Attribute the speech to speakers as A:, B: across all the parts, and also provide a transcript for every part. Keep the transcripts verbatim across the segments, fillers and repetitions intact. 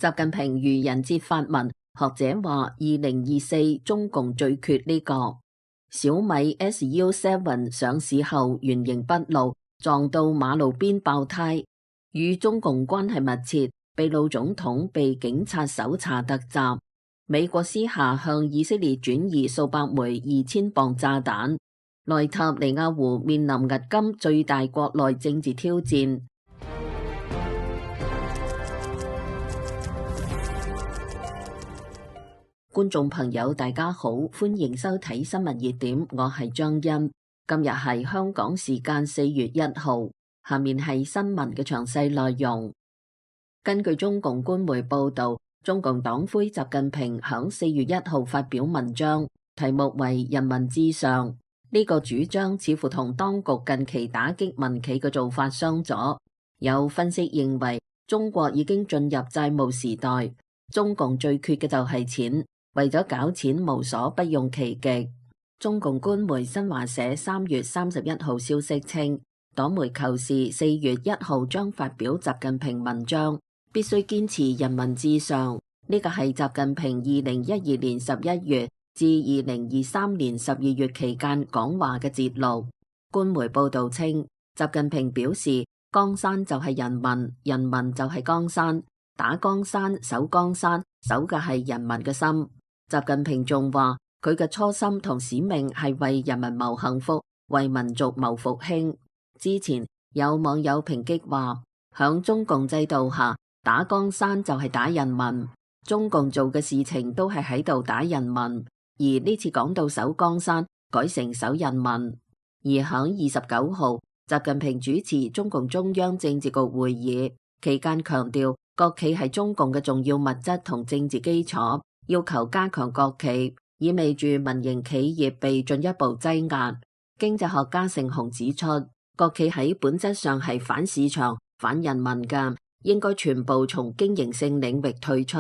A: 習近平愚人節發文，學者話二零二四中共最缺呢個。小米 S U 七 上市後原形畢露，撞到馬路邊爆胎，與中共關係密切。秘魯總統被警察搜查突襲，美國私下向以色列轉移數百枚二千磅炸彈。內塔尼亞胡面臨迄今最大國內政治挑戰。觀眾朋友大家好，歡迎收睇新聞熱點，我係張欣。今日係香港時間四月一號，下面係新聞嘅詳細內容。根據中共官媒報道，中共黨魁習近平響四月一號發表文章，題目為人民至上。呢個主張似乎同當局近期打擊民企嘅做法相左。有分析認為，中國已經進入債務時代，中共最缺嘅就係錢，為咗搞錢無所不用其極。中共官媒新華社三月三十一號消息稱，黨媒求是四月一號將發表習近平文章，必須堅持人民至上。呢個係習近平二零一二年十一月至二零二三年十二月期間講話嘅節錄。官媒報道稱，習近平表示，江山就係人民，人民就係江山，打江山、守江山，守嘅係人民嘅心。習近平仲話，佢嘅初心同使命係為人民謀幸福，為民族謀復興。之前有網友抨擊話，響中共制度下，打江山就係打人民，中共做嘅事情都係喺度打人民。而呢次講到守江山，改成守人民。而響二十九號，習近平主持中共中央政治局會議期間強調，國企係中共嘅重要物質同政治基礎，要求加強國企，意味住民營企業被進一步擠壓。經濟學家盛雄指出，國企喺本質上係反市場、反人民嘅，應該全部從經營性領域退出。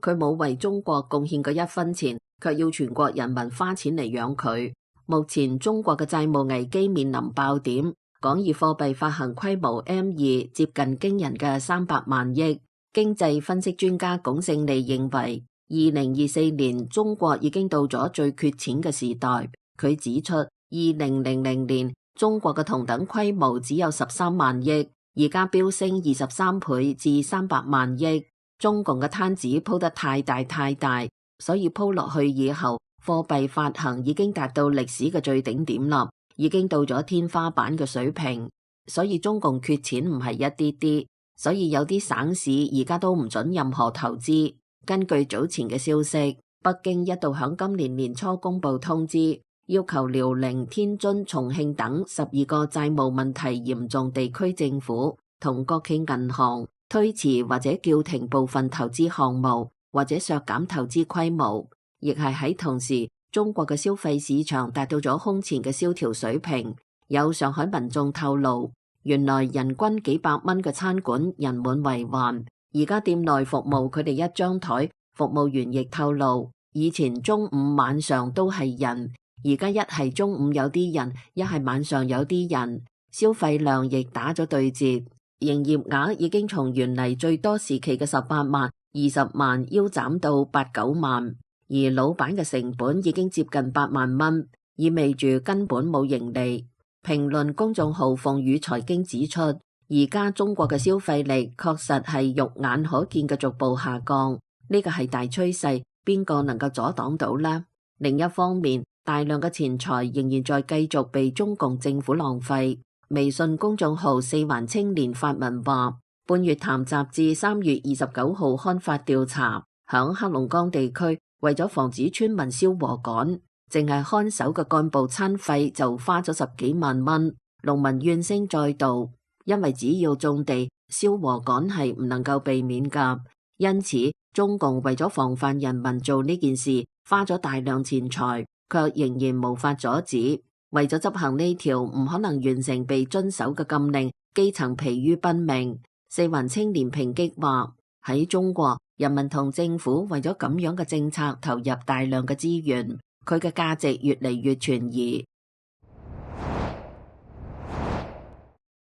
A: 佢冇為中國貢獻過一分錢，卻要全國人民花錢嚟養佢。目前中國嘅債務危機面臨爆點，廣義貨幣發行規模 M 二 接近驚人嘅三百萬億。經濟分析專家龔勝利認為，二零二四年中國已經到咗最缺錢嘅時代。佢指出，二零零零年中國嘅同等規模只有十三萬億，而家飆升二十三倍至三百萬億。中共嘅攤子鋪得太大太大，所以鋪落去以後，貨幣發行已經達到歷史嘅最頂點啦，已經到咗天花板嘅水平。所以中共缺錢唔係一啲啲，所以有啲省市而家都唔准任何投資。根據早前嘅消息，北京一度響今年年初公布通知，要求遼寧、天津、重慶等十二個債務問題嚴重地區政府同國企銀行推遲或者叫停部分投資項目，或者削減投資規模。亦係喺同時，中國嘅消費市場達到咗空前嘅蕭條水平。有上海民眾透露，原來人均幾百蚊嘅餐館人滿為患，而家店內服務佢哋一張台，服務員亦透露，以前中午晚上都係人，而家一係中午有啲人，一係晚上有啲人，消費量亦打咗對折。營業額已經從原嚟最多時期嘅十八萬、二十萬腰斬到八九萬，而老闆嘅成本已經接近八萬蚊，意味住根本冇盈利。評論公眾號鳳羽財經指出，而家中國嘅消費力確實係肉眼可見嘅逐步下降，呢個係大趨勢，邊個能夠阻擋到呢？另一方面，大量嘅錢財仍然在繼續被中共政府浪費。微信公眾號四環青年發文話，半月談雜誌三月二十九號刊發調查，響黑龍江地區為咗防止村民燒禾稈，淨係看守嘅幹部餐費就花咗十幾萬蚊。農民怨聲載道，因為只要種地，燒禾稈係唔能夠避免噶。因此，中共為咗防範人民做呢件事，花咗大量錢財，卻仍然無法阻止。為咗執行呢條唔可能完成被遵守嘅禁令，基層疲於奔命。四環青年抨擊話，喺中國，人民同政府為咗咁樣嘅政策投入大量嘅資源，佢嘅價值越嚟越存疑。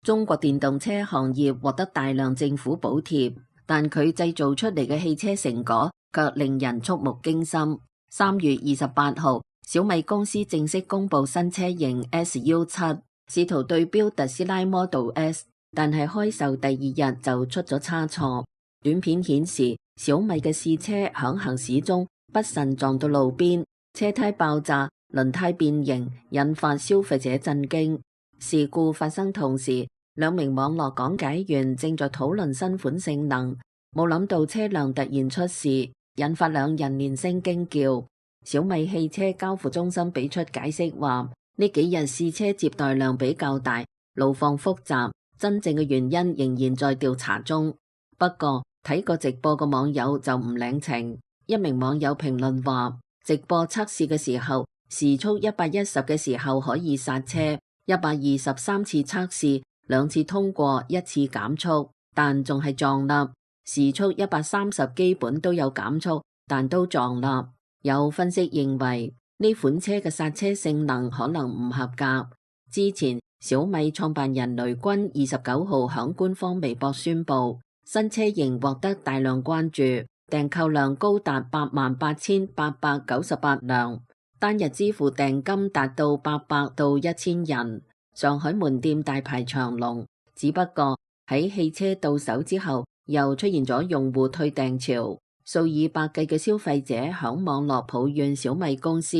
A: 中國電動車行業獲得大量政府補貼。但佢製造出嚟嘅汽車成果卻令人觸目驚心。三月二十八號，小米公司正式公布新車型 S U 七，試圖對標特斯拉 Model S， 但係開售第二日就出咗差錯。短片顯示，小米嘅試車響行駛中不慎撞到路邊，車胎爆炸，輪胎變形，引發消費者震驚。事故發生同時，兩名網絡講解員正在討論新款性能，冇諗到車輛突然出事，引發兩人連聲驚叫。小米汽車交付中心俾出解釋話，呢幾日試車接待量比較大，路況複雜，真正嘅原因仍然在調查中。不過睇過直播嘅網友就唔領情，一名網友評論話，直播測試嘅時候，時速一百一十嘅時候可以剎車，一百二十三次測試，兩次通過，一次減速，但仲係撞笠。時速一百三十基本都有減速，但都撞笠。有分析認為呢款車嘅剎車性能可能唔合格。之前小米創辦人雷軍二十九號響官方微博宣布，新車型獲得大量關注，訂購量高達八萬八千八百九十八輛，單日支付訂金達到八百到一千人。上海門店大排長龍，只不過喺汽車到手之後，又出現咗用戶退訂潮，數以百計嘅消費者響網絡抱怨小米公司，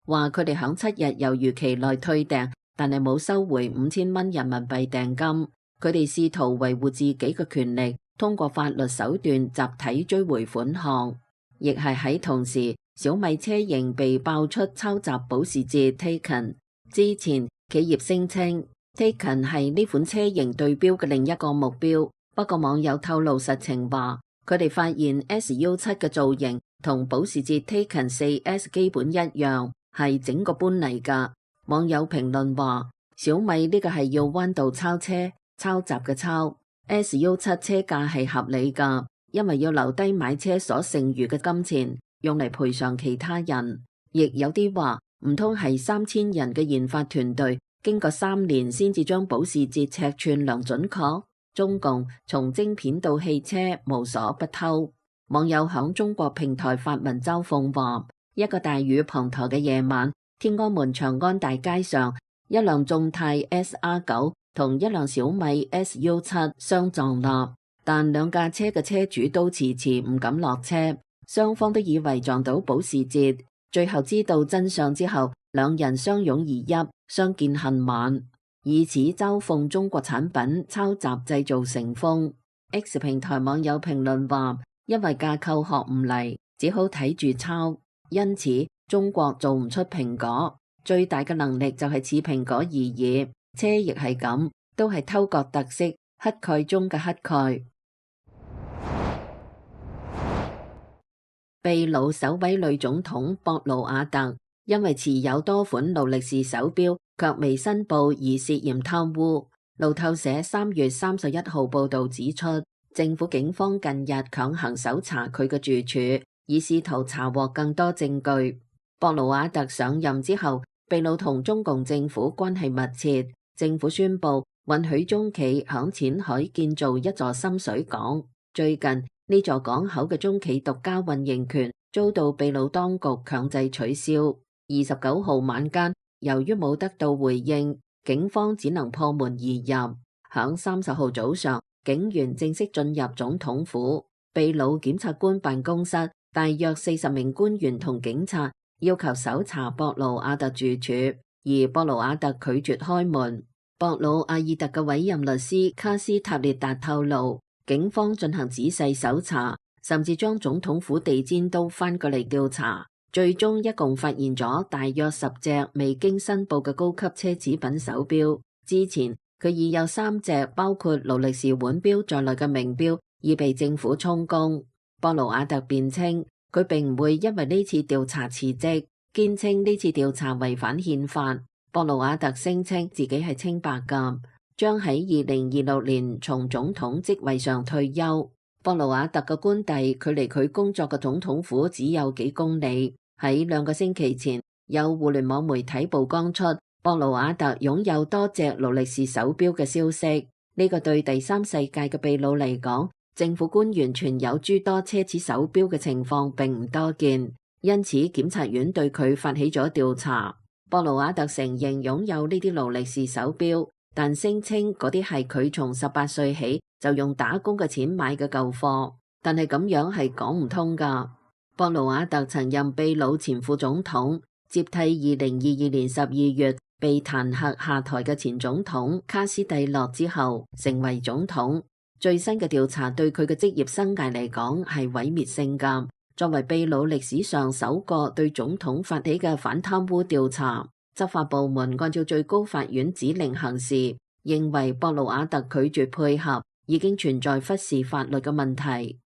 A: 話佢哋響七日猶豫期內退訂，但係冇收回五千蚊人民幣訂金。佢哋試圖維護自己嘅權利，通過法律手段集體追回款項。亦係喺同時，小米車型被爆出抄襲保時捷 Taycan。之前企業聲稱 Taycan 係呢款車型對標嘅另一個目標。不過網友透露實情話，佢哋發現 S U 七嘅造型同保時捷 Taycan 四 S 基本一樣，係整個搬嚟㗎。網友評論話，小米呢個係要彎道超車，抄襲嘅抄。S U 七車價係合理㗎，因為要留低買車所剩餘嘅金錢，用嚟賠償其他人。亦有啲話，唔通係三千人嘅研發團隊，經過三年先至將保時捷尺寸量準確？中共從晶片到汽車無所不偷。網友響中國平台發文嘲諷話，一個大雨滂沱嘅夜晚，天安門長安大街上，一輛眾泰 S R 九 同一輛小米 S U 七相撞啦，但兩架車嘅車主都遲遲唔敢落車，雙方都以為撞到保時捷。最後知道真相之後，兩人相擁而泣，相見恨晚。以此嘲諷中國產品抄襲製造成風。X 平台網友評論話，因為架構學唔嚟，只好睇住抄，因此中國做唔出蘋果，最大嘅能力就係似蘋果而已。車亦係咁，都係偷割特色，乞丐中嘅乞丐。秘魯首位女總統博魯瓦特因為持有多款勞力士手錶，卻未申報而涉嫌貪污。路透社三月三十一號報道指出，政府警方近日強行搜查佢嘅住處，以試圖查獲更多證據。博魯瓦特上任之後，秘魯同中共政府關係密切，政府宣布允許中企響淺海建造一座深水港。最近呢座港口嘅中企獨家運營權遭到秘魯當局強制取消。二十九號晚間，由於冇得到回應，警方只能破門而入。響三十號早上，警員正式進入總統府。秘魯檢察官辦公室大約四十名官員同警察要求搜查博魯瓦特住處，而博魯瓦特拒絕開門。博魯阿爾特嘅委任律師卡斯塔列達透露，警方進行仔細搜查，甚至將總統府地氈都翻過嚟調查。最終一共發現咗大約十隻未經申報嘅高級奢侈品手錶。之前佢已有三隻包括勞力士腕錶在內嘅名錶已被政府充公。博魯瓦特辯稱佢並唔會因為呢次調查辭職，堅稱呢次調查違反憲法。博魯瓦特聲稱自己係清白㗎，將喺二零二六年從總統職位上退休。博魯瓦特嘅官邸距離佢工作嘅總統府只有幾公里。喺兩個星期前，有互聯網媒體曝光出博魯瓦特擁有多隻勞力士手錶嘅消息。呢個對第三世界嘅秘魯嚟講，政府官員存有諸多奢侈手錶嘅情況並唔多見，因此檢察院對佢發起咗調查。博盧瓦特承認擁有呢啲勞力士手錶，但聲稱嗰啲係佢從十八歲起就用打工嘅錢買嘅舊貨，但係咁樣係講唔通㗎。博盧瓦特曾任秘魯前副總統，接替二零二二年十二月被彈劾下台嘅前總統卡斯蒂洛之後，成為總統。最新嘅調查對佢嘅職業生涯嚟講係毀滅性㗎。作為秘魯歷史上首個對總統發起嘅反貪污調查，執法部門按照最高法院指令行事，認為博盧瓦特拒絕配合，已經存在忽視法律嘅問題。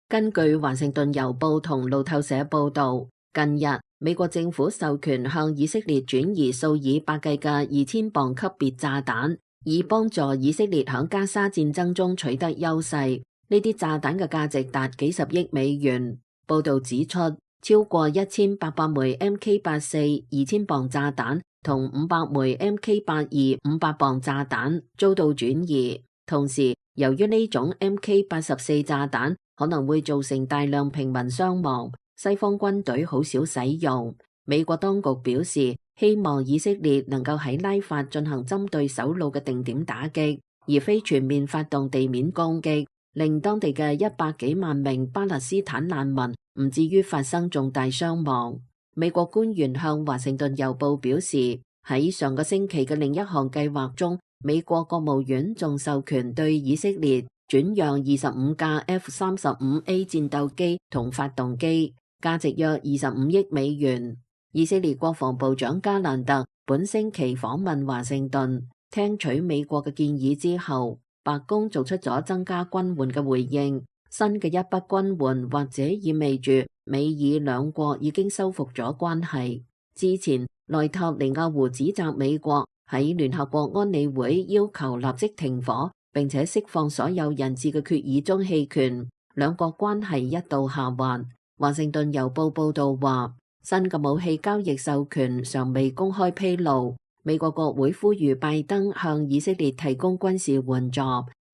A: 根據華盛頓郵報同路透社報導，近日美國政府授權向以色列轉移數以百計嘅二千磅級別炸彈，以幫助以色列喺加沙戰爭中取得優勢。呢啲炸彈嘅價值達幾十億美元。報導指出，超過一千八百枚 M K 八四二千磅炸彈同五百枚 M K 八二五百磅炸彈遭到轉移。同時，由於呢種 M K 八十四炸彈可能會造成大量平民傷亡，西方軍隊好少使用。美國當局表示，希望以色列能夠喺拉法進行針對首腦嘅定點打擊，而非全面發動地面攻擊，令當地嘅一百幾萬名巴勒斯坦難民唔至於發生重大傷亡。美國官員向華盛頓郵報表示，喺上個星期嘅另一項計劃中，美國國務院仲授權對以色列轉讓二十五架 F 三十五 A 戰鬥機同發動機，價值約二十五億美元。以色列國防部長加蘭特本星期訪問華盛頓，聽取美國嘅建議之後，白宮做出咗增加軍援嘅回應。新嘅一筆軍援或者意味住美以兩國已經修復咗關係。之前內塔尼亞胡指責美國喺聯合國安理會要求立即停火並且釋放所有人質嘅決議中棄權，兩國關係一度下滑。華盛頓郵報報道話，新嘅武器交易授權尚未公開披露。美國國會呼籲拜登向以色列提供軍事援助，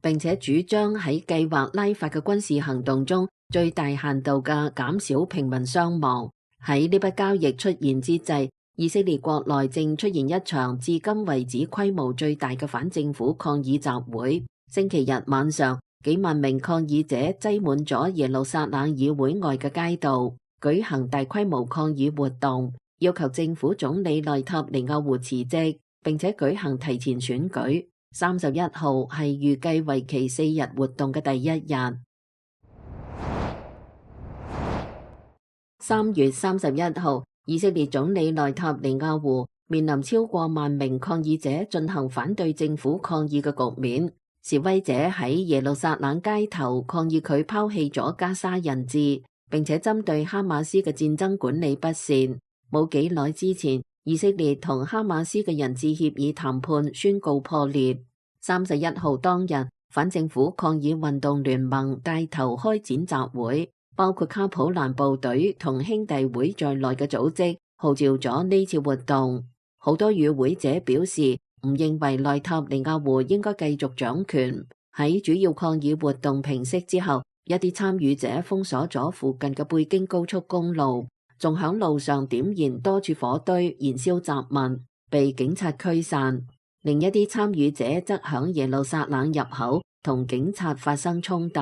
A: 並且主張喺計劃拉法嘅軍事行動中最大限度嘅減少平民傷亡。喺呢筆交易出現之際，以色列國內正出現一場至今為止規模最大嘅反政府抗議集會。星期日晚上，幾萬名抗議者擠滿咗耶路撒冷議會外嘅街道，舉行大規模抗議活動，要求政府總理內塔尼亞胡辭職，並且舉行提前選舉。三十一號係預計為期四日活動嘅第一日。三月三十一號，以色列總理內塔尼亞胡面臨超過萬名抗議者進行反對政府抗議嘅局面。示威者喺耶路撒冷街頭抗議佢拋棄咗加沙人質，並且針對哈馬斯嘅戰爭管理不善。冇幾耐之前，以色列同哈馬斯嘅人質協議談判宣告破裂。三十一號當日，反政府抗議運動聯盟帶頭開展集會，包括卡普蘭部隊同兄弟會在內嘅組織號召咗呢次活動。好多與會者表示唔認為內塔尼亞胡應該繼續掌權。喺主要抗議活動平息之後，一啲參與者封鎖咗附近嘅貝京高速公路，仲響路上點燃多處火堆，燃燒雜物，被警察驅散。另一啲參與者則響耶路撒冷入口同警察發生衝突，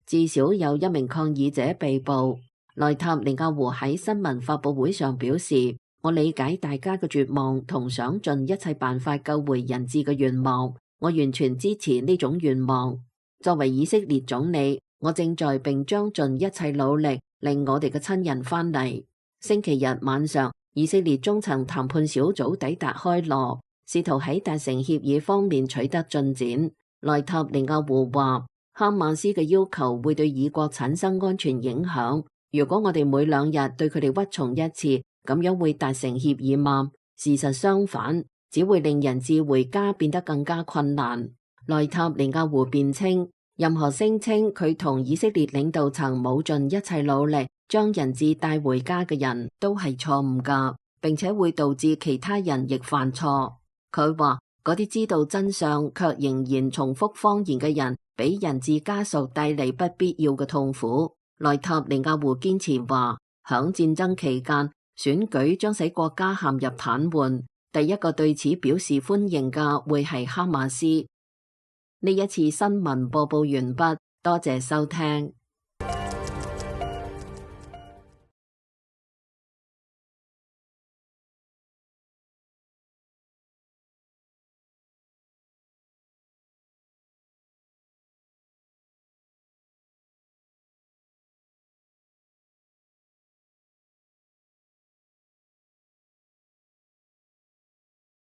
A: 至少有一名抗議者被捕。內塔尼亞胡喺新聞發佈會上表示，我理解大家嘅絕望同想盡一切辦法救回人質嘅願望，我完全支持呢種願望。作為以色列總理，我正在並將盡一切努力令我哋嘅親人返嚟。星期日晚上，以色列中層談判小組抵達開羅，試圖喺達成協議方面取得進展。內塔尼亞胡話，哈馬斯嘅要求會對以國產生安全影響。如果我哋每兩日對佢哋屈從一次，咁樣會達成協議嗎？事實相反，只會令人質回家變得更加困難。內塔尼亞胡辯稱，任何聲稱佢同以色列領導層冇盡一切努力將人質帶回家嘅人都係錯誤㗎，並且會導致其他人亦犯錯。佢話嗰啲知道真相卻仍然重複謊言嘅人，俾人質家屬帶嚟不必要嘅痛苦。內塔尼亞胡堅持話，響戰爭期間，選舉將使國家陷入癱瘓。第一個對此表示歡迎嘅會係哈馬斯。呢一次新聞播報完畢，多謝收聽。